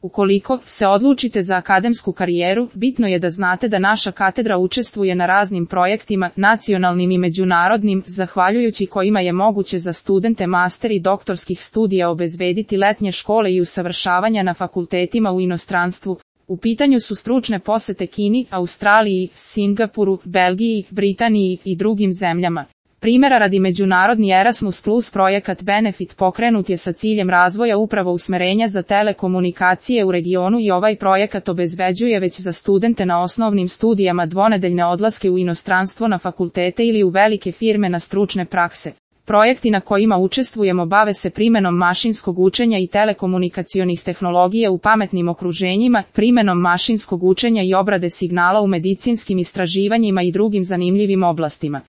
Ukoliko se odlučite za akademsku karijeru, bitno je da znate da naša katedra učestvuje na raznim projektima, nacionalnim i međunarodnim, zahvaljujući kojima je moguće za studente master i doktorskih studija obezbediti letnje škole i usavršavanja na fakultetima u inostranstvu. U pitanju su stručne posete Kini, Australiji, Singapuru, Belgiji, Britaniji i drugim zemljama. Primjera radi međunarodni Erasmus Plus projekat Benefit pokrenut je sa ciljem razvoja upravo usmerenja za telekomunikacije u regionu i ovaj projekat obezbeđuje već za studente na osnovnim studijama dvonedeljne odlaske u inostranstvo na fakultete ili u velike firme na stručne prakse. Projekti na kojima učestvujemo bave se primenom mašinskog učenja i telekomunikacionih tehnologija u pametnim okruženjima, primenom mašinskog učenja i obrade signala u medicinskim istraživanjima i drugim zanimljivim oblastima.